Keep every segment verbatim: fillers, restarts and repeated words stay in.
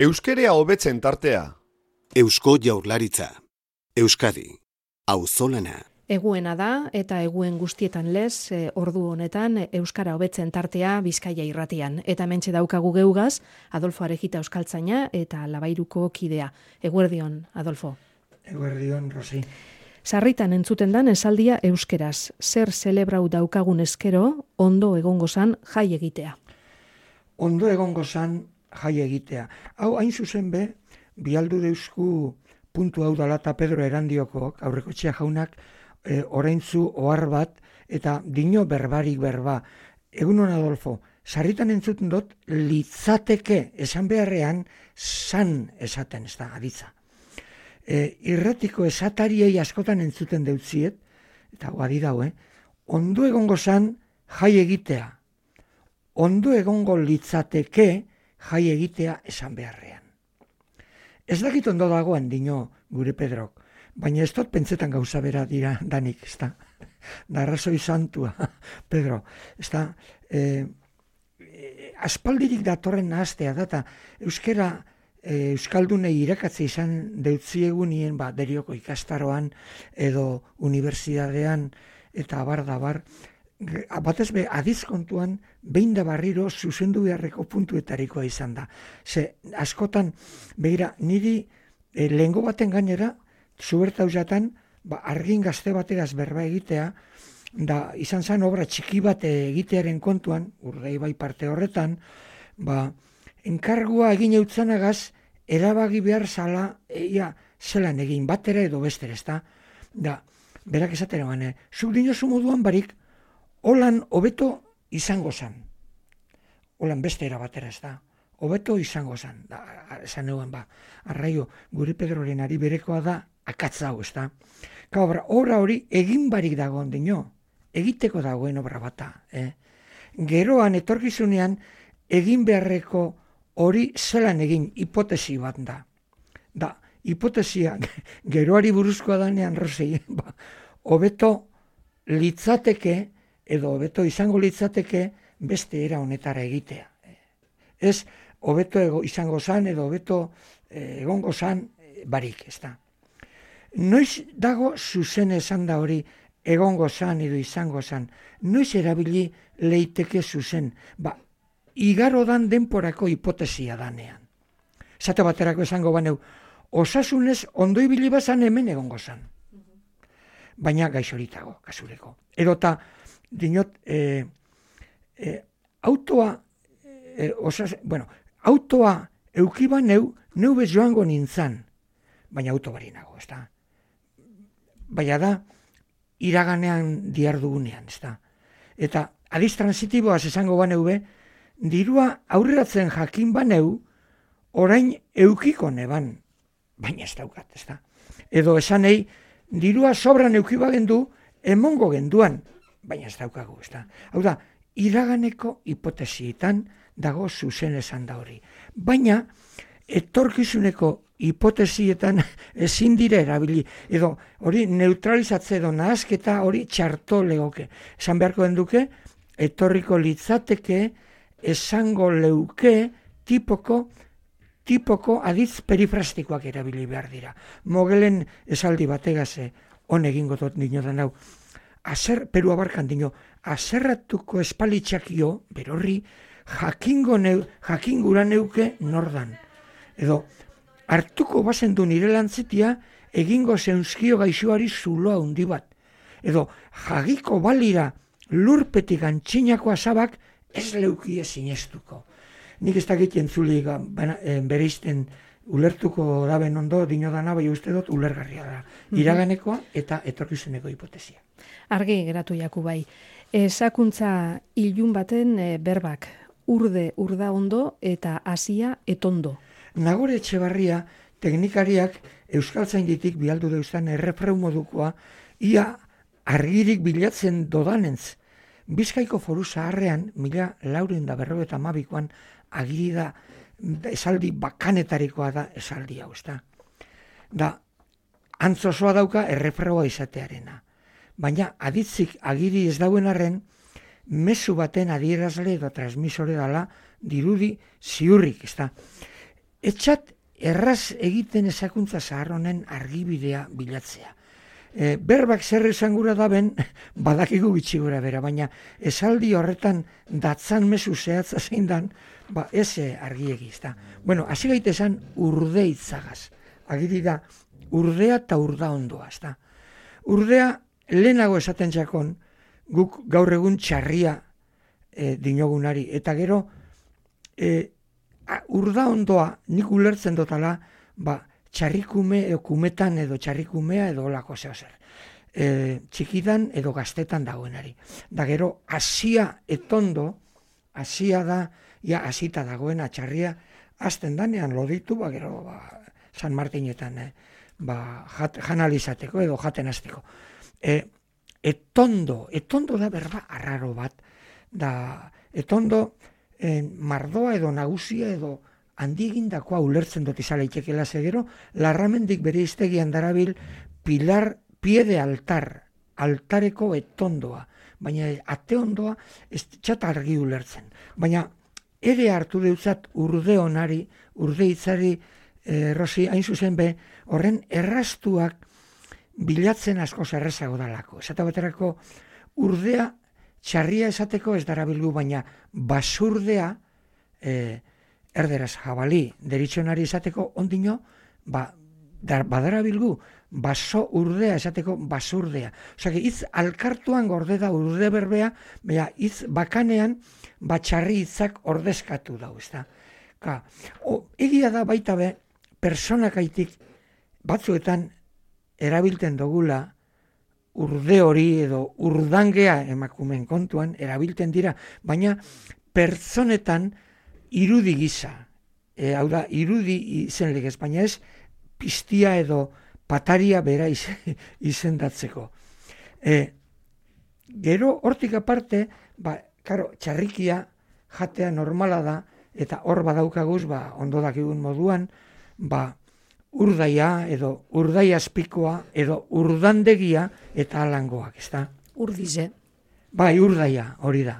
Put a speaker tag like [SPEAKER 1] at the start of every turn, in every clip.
[SPEAKER 1] Euskerea hobetzen tartea.
[SPEAKER 2] Eusko Jaurlaritza. Euskadi. Auzolana.
[SPEAKER 3] Eguena da eta eguen guztietan lez, e, ordu honetan Euskara hobetzen tartea Bizkaia irratian. Eta hementxe daukagu geugaz, Adolfo Arejita euskaltzaina eta Labairuko kidea. Eguerdion, Adolfo.
[SPEAKER 4] Eguerdion, Rosi.
[SPEAKER 3] Sarritan entzuten dan esaldia euskeraz. Zer zelebrau daukagun eskero, ondo egongo zan jai egitea.
[SPEAKER 4] Ondo egongo zan jai egitea. Hau hain zuzen be, bialdu deusku puntu hau dalata Pedro Erandiokok, aurrekotxea jaunak, e, oraintzu ohar bat, eta dino berbarik berba. Egunon, Adolfo, sarritan entzuten dut, litzateke esan beharrean, san esaten, ez da, aditza. E, irratiko esatariei askotan entzuten deutziet, eta guadi dau, eh? Ondo egongo zan jai egitea. Ondo egongo litzateke jai egitea esan beharrean. Ez dakit ondo dagoen dino gure Pedrok, baina ez dut pentsetan gauza bera dira danik, ez da. Da arrazoi santua, Pedro, ez da. E, e, aspaldirik datorren nahaztea data, euskera e, euskaldunei irakatze izan deutziegunien, ba, derioko ikastaroan edo unibertsitatean eta abar da bar, batez be, adizkontuan, behin da barriro zuzendu beharreko puntuetarikoa izan da. Ze, askotan, behira, niri e, lehengo baten gainera, zuberta uzatan, ba, argin gazte bategaz berba egitea, da izan zen obra txiki bat egitearen kontuan, Urdei bai parte horretan, ba, enkargua egin eutzanagaz, erabagi behar zala, ia, zelan egin batera edo bestera, ez da? Da, berak esatera gane, zuk dinozu moduan barik, holan hobeto izango zan. Holan beste era batera, ez da. Hobeto izango zan. Da, esan egon, ba, arraio, gure Pedroren ari berekoa da, akatzau, ez da. Ka obra, obra hori egin barik dagoen dino, egiteko dagoen obra bata. Eh? Geroan, etorkizunean, egin beharreko hori zelan egin hipotesi bat da. Da, hipotesia, geroari buruzkoa danean, Rosi, ba, hobeto litzateke, edo hobeto izango litzateke beste era honetara egitea. Ez, hobeto izango zan, edo hobeto eh, egongo zan eh, barik, ez da. Noiz dago zuzen esan da hori egongo zan edo izango zan, noiz erabili leiteke zuzen, ba, igarodan denporako hipotesia danean. Zate baterako esango baneu, osasunez ondo ibili bazan hemen egongo zan. Baina gaixoritago, kasureko. Edota, dinot, e, e, autoa, e, osas, bueno, autoa eukiba neu, neu bez joango nintzan, baina auto bari nago, ez da. Baina da, iraganean diardugunean, ez da. Eta adiz transitiboaz esango baneu be, dirua aurreratzen jakin baneu, orain eukiko neban, baina ez daukat, ez da. Edo esanei, dirua sobran eukiba gendu, emongo genduan, baina ez daukagu, ez da. Hau da, iraganeko hipotesietan dago zuzen esan da hori. Baina, etorkizuneko hipotesietan ezin dira erabili. Edo, hori neutralizatze edo nahazketa hori txarto legoke. Esan beharko den duke, etorriko litzateke, esango leuke, tipoko, tipoko aditz perifrastikoak erabili behar dira. Mogelen esaldi bategaze, hon egingo dut dinotan hau, Azer, Peru abarkan dino, azerratuko espalitxakio, berorri, jakingo neu, jakingura neuke nordan. Edo, hartuko bazen du nire lantzitia, egingo zeunzkio gaixoari zuloa hundi bat. Edo, jagiko balira lurpetik antxinako azabak ez leukie sinestuko. Nik ez dakit entzuli bereizten ulertuko daben ondo, dino dana, bai uste dut ulergarria da. Iraganekoa eta etorkizuneko hipotesia.
[SPEAKER 3] Argi geratu jaku bai. Esakuntza ilun baten e, berbak, urde urda ondo eta hasia etondo.
[SPEAKER 4] Nagore Etxebarria teknikariak euskaltzainditik bialdu deustan errefreu modukoa, ia argirik bilatzen dodanentz. Bizkaiko foru zaharrean, mila laureun da berro eta mabikoan, agiri da esaldi bakanetarikoa da esaldi hau, ez da. Da, antzosoa dauka errefreua izatearena. Baina aditzik agiri ez dauen arren, mezu baten adierazle edo transmisore dala dirudi ziurrik, ez da. etxat erraz egiten ezakuntza zahar honen argibidea bilatzea. E, berbak zer esan gura da ben, badakigu bitxi gura bera, baina esaldi horretan datzan mezu zehatza zein dan, ba, ez argiegi, ezta. Bueno, hasi gaitezan urde itzagaz. Agiri da, urdea eta urda ondoa, ezta. Urdea, lehenago esaten jakon, guk gaur egun txarria e, dinogunari, eta gero, e, urda ondoa, nik ulertzen dotala, ba, txarrikume edo kumetan edo txarrikumea edo olako zeo zer. E, txikidan edo gaztetan dagoenari. Da gero, hasia etondo, hasia da, ja, hasita dagoena txarria, azten danean loditu, ba, gero, ba, San Martinetan, eh, ba, jat, janalizateko edo jaten hasteko. E, etondo, etondo da berba arraro bat, da etondo eh, mardoa edo nagusia edo handiegindakoa ulertzen dut izala itekela zegero, larramendik bere iztegian darabil pilar pie de altar, altareko etondoa, baina ate ondoa ez txat argi ulertzen. Baina ere hartu deutzat urde onari, urde hitzari, eh, Rosi, hain zuzen be, horren erraztuak bilatzen asko errazago dalako. Esate baterako urdea txarria esateko ez darabilgu, baina basurdea, eh, erderaz jabali deritxonari esateko ondino, ba, dar, badarabilgu, baso urdea esateko basurdea. Osea, hitz alkartuan gorde da urde berbea, baina hitz bakanean batxarri hitzak ordezkatu dau, ezta. Ka, o, egia da baita be, personakaitik batzuetan erabilten dogula urde hori edo urdangea emakumeen kontuan erabilten dira, baina pertsonetan irudi gisa, e, hau da, irudi izen legez, baina ez piztia edo pataria bera izendatzeko. E, gero, hortik aparte, ba, karo, txarrikia jatea normala da, eta hor badaukaguz, ba, ondo dakigun moduan, ba, urdaia edo urdai azpikoa edo urdandegia eta alangoak, ezta?
[SPEAKER 3] Urdize.
[SPEAKER 4] Bai, urdaia, hori da.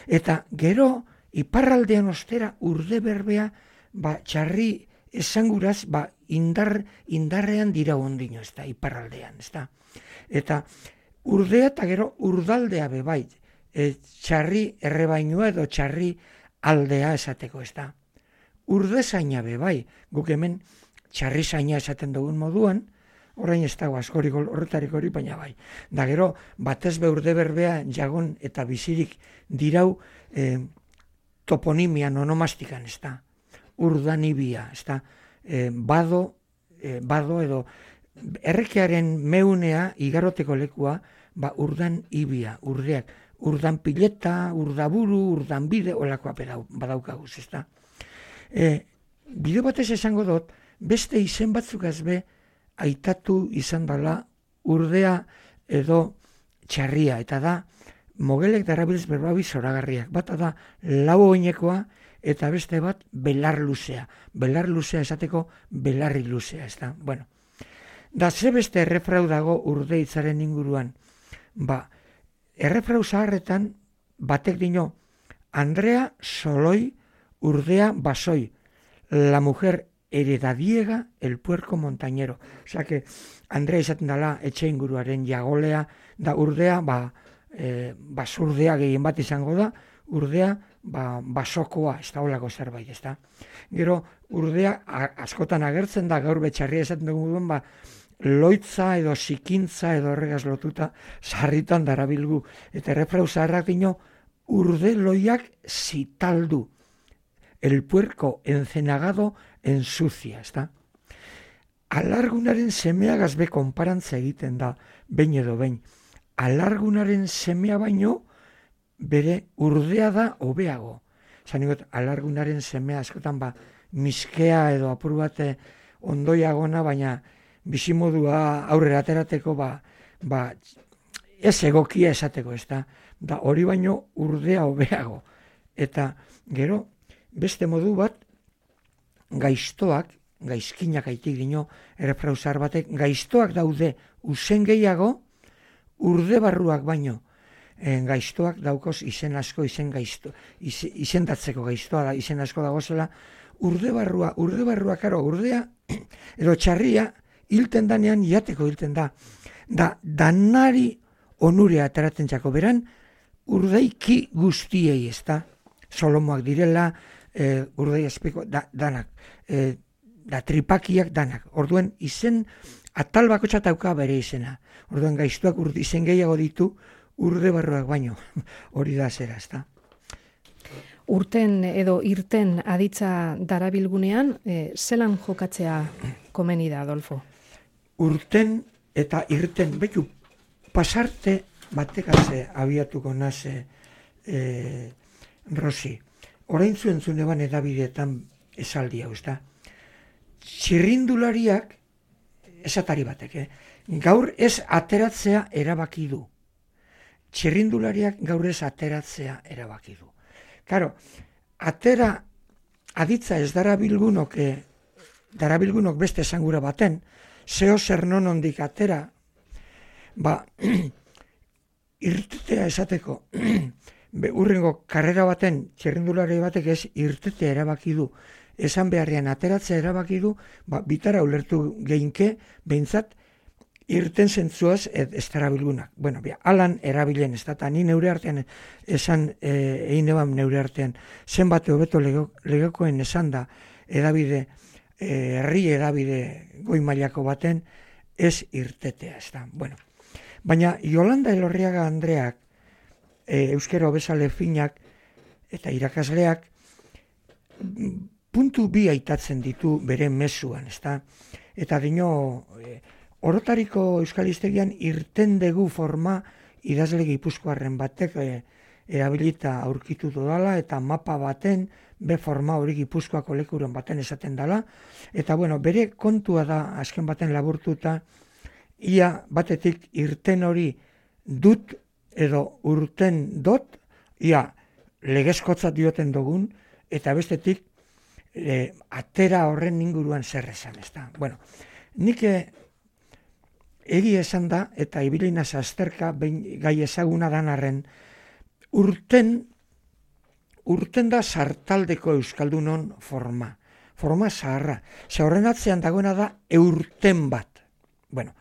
[SPEAKER 4] Eta gero, iparraldean ostera urde berbea, ba, txarri esanguraz, ba, indar, indarrean dira ondino, ezta, iparraldean, ezta. Eta urdea eta gero urdaldea bebai, e, txarri errebainua edo txarri aldea esateko, ezta. Urdezaina bebai, guk hemen txarri zaina esaten dugun moduan, orain ez dago askorik horretarik hori, baina bai. Da gero, batez be urde berbea jagon eta bizirik dirau eh, toponimian, onomastikan, ez da. Urdanibia, ez da. Eh, bado, eh, bado edo errekearen meunea, igaroteko lekua, ba, urdan ibia, urdeak. Urdan pileta, urdaburu, urdan bide, olakoa badaukaguz, ez da. Eh, bide batez esango dut, beste izen batzuk azbe aitatu izan dela urdea edo txarria, eta da mogelek darabilz berbabi zoragarriak. Bata da lau oinekoa eta beste bat belar luzea. Belar luzea esateko belarri luzea, ez da. Bueno, da ze beste errefrau dago urde hitzaren inguruan. Ba, errefrau zaharretan batek dino, Andrea soloi urdea basoi, la mujer heredadiega el puerco montañero. Osea que Andrea izaten dela etxe inguruaren jagolea, da urdea, ba, e, basurdea gehien bat izango da, urdea, ba, basokoa, ez da olako zerbait, ez da. Gero, urdea a, askotan agertzen da, gaur betxarria esaten dugun, ba, loitza edo sikintza edo horregaz lotuta sarritan darabilgu. Eta errefrau zaharrak dino, urde loiak zitaldu. El puerco encenagado ensucia, ezta? Alargunaren semea gazbe konparantza egiten da, behin edo behin. Alargunaren semea baino, bere urdea da hobeago. Zanigot, alargunaren semea askotan ba, miskea edo apur bate ondoiagona, baina bizimodua aurrera aterateko ba, ba, ez egokia esateko, ezta? Da hori baino urdea hobeago. Eta gero, beste modu bat, gaiztoak, gaizkinak aitik dino, errefrauzar batek, gaiztoak daude usen gehiago, urde barruak baino. E, gaiztoak daukoz izen asko, izen gaizto, izen, izendatzeko gaiztoa da, izen asko dagozela, urde barrua, urde barrua, karo, urdea, edo txarria, hilten danean, jateko hilten da. Da, danari onurea ateratzen txako, beran, urdaiki guztiei, ez da, solomoak direla, e, urdei espeko, da, danak, e, da tripakiak danak. Orduen, izen, atal bako txatauka bere izena. Orduen, gaiztuak urde, izen gehiago ditu, urde barruak baino, hori da zera, ez da.
[SPEAKER 3] Urten edo irten aditza darabilgunean, e, zelan jokatzea komeni da, Adolfo?
[SPEAKER 4] Urten eta irten, betu, pasarte batekatze abiatuko naze e, Rosi. Orain zuen zuen eban edabideetan esaldi hau, ez da. Txirrindulariak, esatari batek, eh? gaur ez ateratzea erabaki du. Txirrindulariak gaur ez ateratzea erabaki du. Karo, atera aditza ez darabilgunok, eh, darabilgunok beste esangura baten, zeo zer non ondik atera, ba, irtetea esateko, urrengo karrera baten, txirrindulari batek ez irtetea erabaki du, esan beharrean ateratzea erabaki du, ba, bitara ulertu geinke, behintzat, irten zentzuaz ez darabilgunak. Bueno, bia, alan erabilen, ez da, eta ni neure artean, esan, egin e, eban neure artean, zenbat hobeto legekoen esan da, edabide, herri e, edabide goi mailako baten, ez irtetea, ez da. Bueno, baina Yolanda Elorriaga Andreak, e, euskera hobezale finak, eta irakasleak, puntu bi aitatzen ditu bere mezuan, ez da. Eta dino, e, orotariko euskal hiztegian irten dugu forma idazle gipuzkoarren batek e, erabilita aurkitu dudala eta mapa baten be forma hori Gipuzkoako lekuren baten esaten dela. Eta bueno, bere kontua da azken baten laburtuta ia batetik irten hori dut edo urten dot, ia legezkotzat dioten dugun, eta bestetik e, atera horren inguruan zer esan, ez da. Bueno, nik egi esan da, eta ibilina azterka gai ezaguna danarren, urten, urten da sartaldeko euskaldunon forma. Forma zaharra. Ze horren atzean dagoena da eurten bat. Bueno,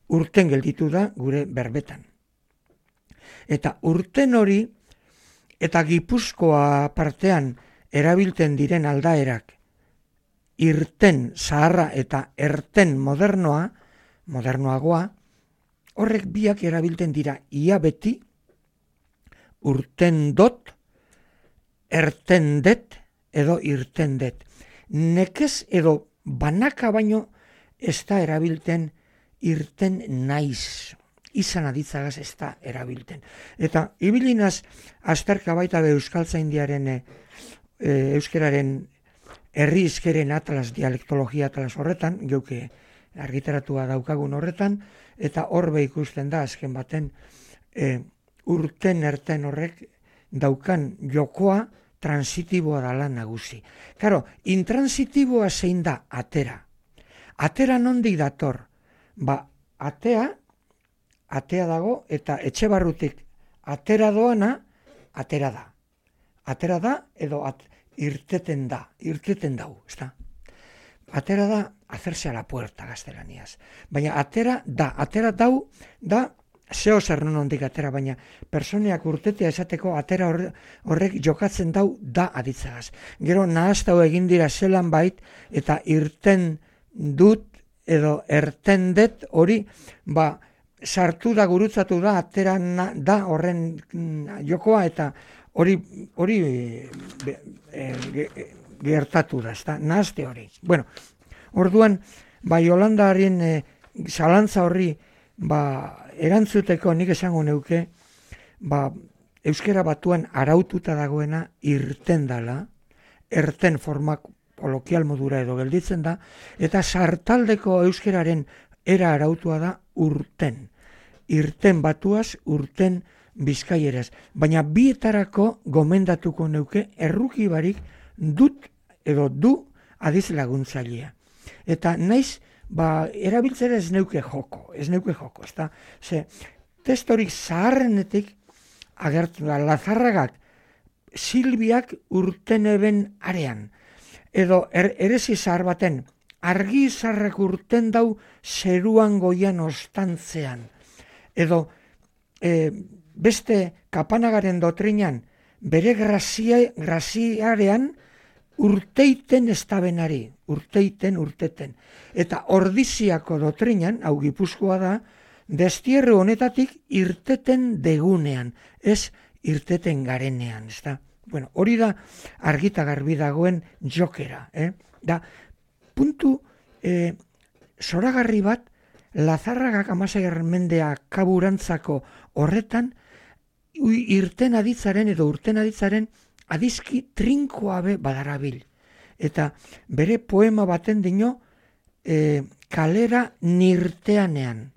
[SPEAKER 4] urten gelditu da gure berbetan. Eta urten hori, eta Gipuzkoa partean erabiltzen diren aldaerak, irten zaharra eta erten modernoa, modernoagoa, horrek biak erabiltzen dira ia beti, urten dot, erten det, edo irten det. Nekez edo banaka baino ez da erabiltzen irten naiz. Izan aditzagaz ez da erabiltzen. Eta ibilinaz azterka baita be euskaltzaindiaren e, euskeraren herri izkeren atlas, dialektologia atlas horretan, geuke argitaratua daukagun horretan, eta horbe ikusten da azken baten e, urten erten horrek daukan jokoa transitiboa dala nagusi. Karo, intransitiboa zein da atera. Atera nondik dator? Ba, atea, atea dago, eta etxe barrutik atera doana, atera da. Atera da, edo at, irteten da, irteten dau, ez da? Atera da, hacerse a la puerta gaztelaniaz. Baina atera da, atera dau, da, zeo zer non ondik atera, baina personeak urtetea esateko atera horre, horrek jokatzen dau da aditzagaz. Gero nahaztau egin dira zelan bait, eta irten dut, edo erten det hori, ba, sartu da, gurutzatu da, atera na, da horren jokoa, eta hori, hori e, e, gertatu da, ez da, nahazte hori. Bueno, orduan, ba, Yolandaren e, zalantza horri, ba, erantzuteko nik esango neuke, ba, euskera batuan araututa dagoena irten dala, erten formak kolokial modura edo gelditzen da, eta sartaldeko euskeraren era arautua da urten. Irten batuaz, urten bizkaieraz. Baina bietarako gomendatuko neuke erruki barik dut edo du adiz laguntzailea. Eta naiz, ba, erabiltzera ez neuke joko, ez neuke joko, ez da? Ze, testorik zaharrenetik agertu da, Lazarragak, Silbiak urten eben arean. edo er, erezi zahar baten, argi zarrak urten dau zeruan goian ostantzean, edo e, beste kapanagaren dotrinan, bere grazia, graziarean urteiten estabenari, urteiten, urteten. Eta ordiziako dotrinan, hau Gipuzkoa da, destierro honetatik irteten degunean, ez irteten garenean, ez da. Bueno, hori da argita garbi dagoen jokera, eh? Da, puntu eh, zoragarri bat, Lazarragak amaseigarren mendea kaburantzako horretan, irten aditzaren edo urten aditzaren adizki trinkoabe badarabil. Eta bere poema baten dino e, kalera nirteanean.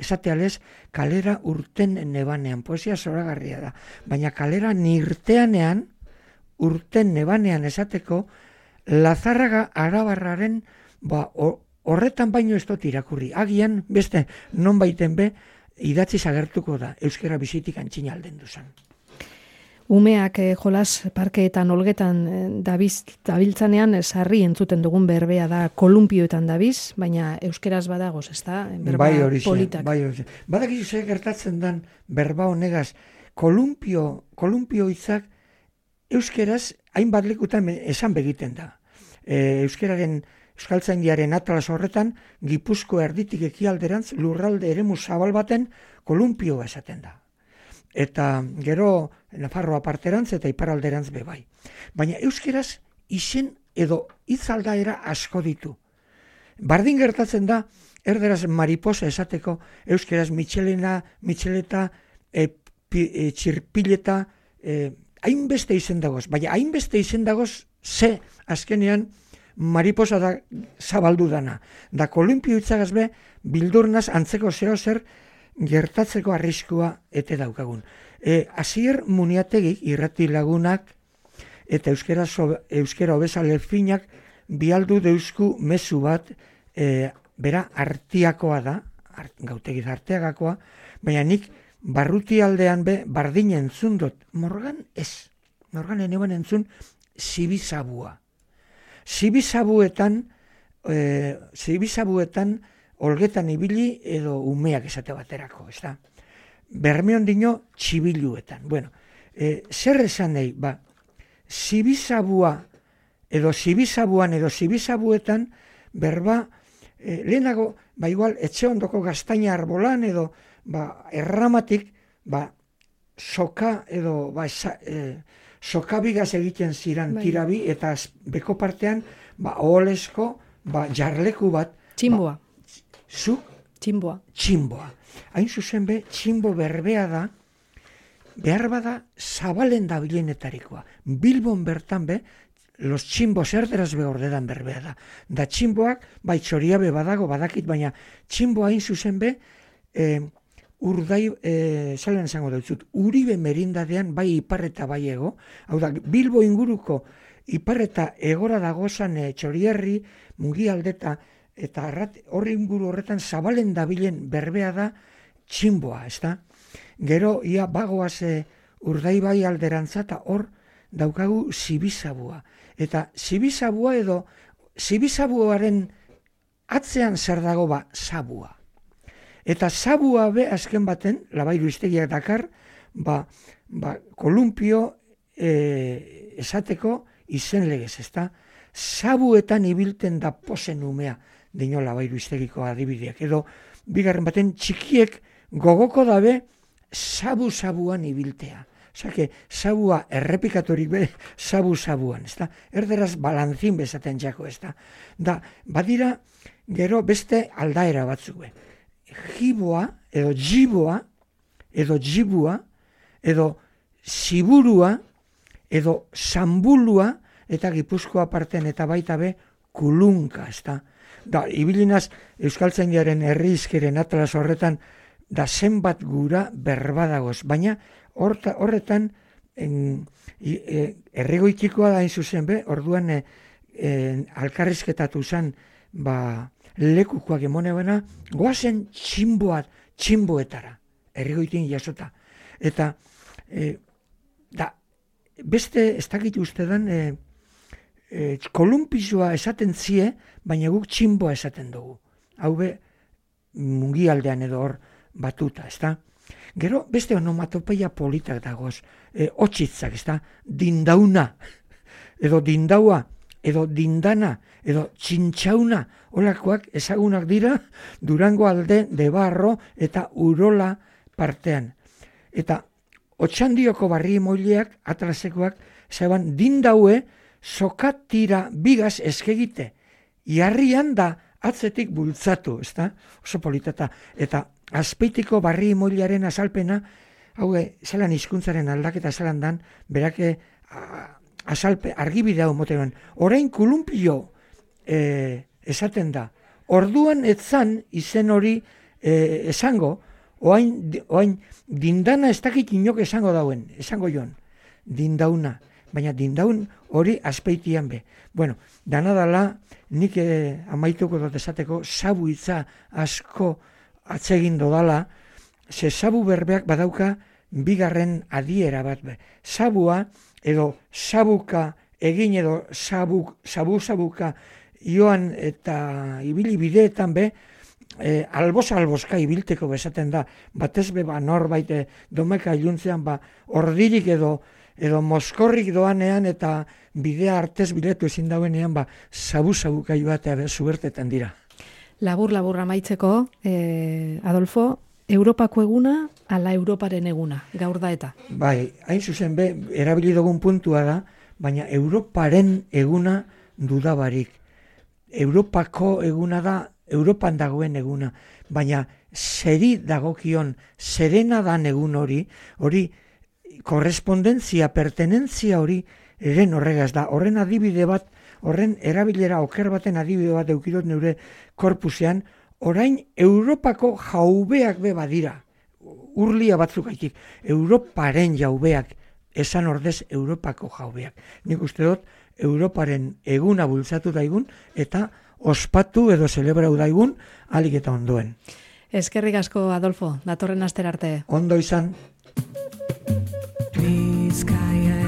[SPEAKER 4] Esatealez, kalera urten nebanean. Poesia zoragarria da. Baina kalera nirteanean, urten nebanean esateko, Lazarraga Arabarraren ba, horretan baino ez dut irakurri. Agian, beste, non baiten be, idatzi zagertuko da, euskera bizitik antxina alden duzan.
[SPEAKER 3] Umeak eh, jolas parkeetan olgetan eh, dabiz, dabiltzanean sarri entzuten dugun berbea da kolumpioetan dabiz, baina euskeraz badagoz, ez da? Berba
[SPEAKER 4] bai horixe,
[SPEAKER 3] politak.
[SPEAKER 4] Bai horixe. Badakizu ze gertatzen dan berba honegaz, kolumpio, kolumpio hitzak euskeraz hainbat lekutan esan begiten da. E, euskeraren Euskaltzaindiaren atlas horretan, Gipuzko erditik ekialderantz lurralde eremu zabal baten kolumpioa esaten da. Eta gero Nafarroa parterantz eta iparalderantz bebai. Baina euskeraz izen edo hitzaldaera asko ditu. Bardin gertatzen da, erderaz mariposa esateko, euskeraz mitxelena, mitxeleta, e, pi, e, txirpileta, e, hainbeste izen dagoz. Baina hainbeste izen dagoz, ze azkenean, mariposa da zabaldu dana. Da kolumpio hitzagaz be, bildurnaz antzeko zeo zer gertatzeko arriskua ete daukagun. E, Asier Muniategik irrati lagunak eta euskera, so, euskera obesale finak bialdu deusku mezu bat e, bera artiakoa da, art, gautegiz arteagakoa, baina nik barruti aldean be bardin entzun dut. Morgan ez. Morgan eneban entzun zibizabua. Zibizabuetan, e, zibizabuetan olgetan ibili edo umeak esate baterako, ez da? Bermeon dino txibiluetan. Bueno, e, zer esan nahi, ba, zibizabua edo zibizabuan edo zibizabuetan berba, e, lehenago, ba igual, etxe ondoko gaztaina arbolan edo ba, erramatik, ba, soka edo ba, esa, e, sokabigaz egiten ziran bai. Tirabi, eta beko partean, ba, oholesko, ba, jarleku bat.
[SPEAKER 3] Tximboa.
[SPEAKER 4] Ba, zuk?
[SPEAKER 3] Tximboa.
[SPEAKER 4] Tximboa. Hain zuzen be, tximbo berbea da, behar bada zabalen da bilenetarikoa. Bilbon bertan be, los tximbos erderaz behordedan berbea da. Da tximboak, bai txoriabe badago, badakit, baina tximboa hain zuzen be, eh, Urdai, e, zalen esango dut, Uribe merindadean bai iparreta bai ego, hau da, Bilbo inguruko iparreta egora dagozan e, Txorierri, Mugialdeta, eta horri inguru horretan zabalen dabilen berbea da tximboa, ez da? Gero, ia bagoaz e, Urdai bai alderantza eta hor daukagu zibizabua. Eta zibizabua edo, zibizabuaren atzean zer dago ba, zabua. Eta zabua be azken baten, Labairu iztegiak dakar, ba, ba, kolumpio e, esateko izen legez, ezta? Zabuetan ibilten da posen umea, dino Labairu iztegiko adibideak. Edo, bigarren baten, txikiek gogoko dabe zabu-zabuan ibiltea. Osake, zabua errepikatorik be, zabu-zabuan, ezta? Erderaz balantzin bezaten jako, ezta? Da, badira, gero beste aldaera batzuk be. Jiboa, edo jiboa, edo jibua, edo ziburua, edo zambulua, eta Gipuzkoa parten eta baita be, kulunka, ez da. Da, ibilinaz, Euskaltzaindiaren herrizkeren atlas horretan, da zenbat gura berbadagoz, baina horta, horretan, en, e, erregoitikoa da hain zuzen be, orduan e, e, alkarrizketatu zen, ba, lekukoak emone bena, goazen tximboat, tximboetara, errigoitin jasota. Eta, e, da, beste, ez dakit uste dan, e, e, kolumpisua esaten zie, baina guk txinboa esaten dugu. Hau be, mungialdean edo hor batuta, ezta? Gero, beste onomatopeia politak dagoz, e, otxitzak, ezta? Dindauna, edo dindaua, edo dindana, edo txintxauna, holakoak ezagunak dira Durango alde, Debarro eta Urola partean. Eta Otxandioko barri moileak, atrasekoak, zeban dindaue, sokatira bigaz eskegite. Iarrian da atzetik bultzatu, ezta? Oso politata. Eta Azpeitiko barri moilearen azalpena, hau zelan hizkuntzaren aldaketa zelan dan, berake azalpe, argibide hau motean. Orain kulumpio e, esaten da. Orduan etzan izen hori e, esango, oain, oain dindana ez dakit inok esango dauen, esango joan, dindauna. Baina dindaun hori Azpeitian be. Bueno, dana dala, nik e, amaituko dut esateko, sabu hitza asko atsegin dodala, ze sabu berbeak badauka bigarren adiera bat be. Sabua edo sabuka egin edo sabuk, sabu sabuka joan eta ibili bideetan be, e, albos alboska ibilteko bezaten da, batez be ba norbait e, domeka iluntzean ba ordirik edo edo moskorrik doanean eta bidea artez biletu ezin dauenean ba sabu-sabuka joatea be zubertetan dira.
[SPEAKER 3] Labur-labur amaitzeko, eh, Adolfo, Europako eguna, ala Europaren eguna, gaur da eta?
[SPEAKER 4] Bai, hain zuzen be, erabili dugun puntua da, baina Europaren eguna dudabarik. Europako eguna da, Europan dagoen eguna, baina zeri dagokion, zerena dan egun hori, hori korrespondentzia, pertenentzia hori, eren horregaz da, horren adibide bat, horren erabilera oker baten adibide bat eukirot neure korpusean, orain Europako jaubeak be badira, urlia batzuk gaitik, Europaren jaubeak, esan ordez Europako jaubeak. Nik uste dut, Europaren eguna bultzatu daigun, eta ospatu edo zelebrau daigun, alik eta ondoen.
[SPEAKER 3] Eskerrik asko, Adolfo, datorren astera arte.
[SPEAKER 4] Ondo izan.
[SPEAKER 5] Bizkaia